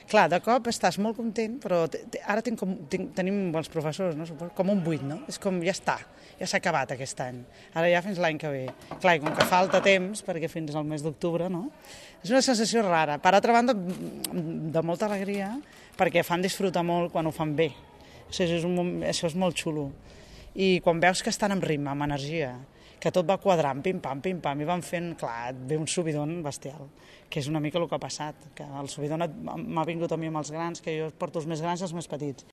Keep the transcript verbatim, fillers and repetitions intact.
Clar, de cop estàs molt content, però ara tinc com, tinc, tenim els professors, no? Com un buit, no? És com, ja està, ja s'ha acabat aquest any. Ara ja fins l'any que ve. Clar, i com que falta temps, perquè fins al mes d'octubre, no? És una sensació rara. Per altra banda, de molta alegria, perquè fan disfrutar molt quan ho fan bé. O sigui, és un, això és molt xulo. I quan veus que estan amb ritme, amb energia, que tot va quadrant, pim-pam, pim-pam, i van fent, clar, et ve un subidon bestial, que és una mica el que ha passat, que el subidon m'ha vingut a mi amb els grans, que jo porto els més grans i els més petits.